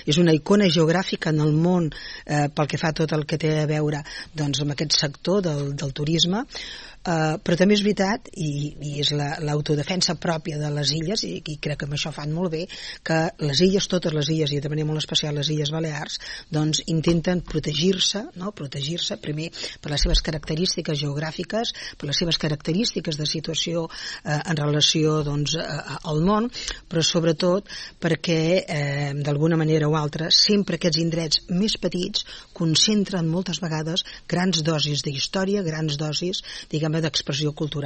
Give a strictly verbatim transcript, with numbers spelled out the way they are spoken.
és una icona geogràfica en el món eh, pel que fa a tot el que té a veure doncs, amb aquest sector del, del turisme. Uh, però també és veritat, i, i és l'autodefensa la, pròpia de les illes, i, i crec que amb això fan molt bé, que les illes, totes les illes, i de manera molt especial les Illes Balears, doncs intenten protegir-se, no? protegir-se primer per les seves característiques geogràfiques, per les seves característiques de situació eh, en relació doncs, a, al món, però sobretot perquè eh, d'alguna manera o altra sempre aquests indrets més petits concentren moltes vegades grans dosis d'història, grans dosis, diguem d'expressió cultural.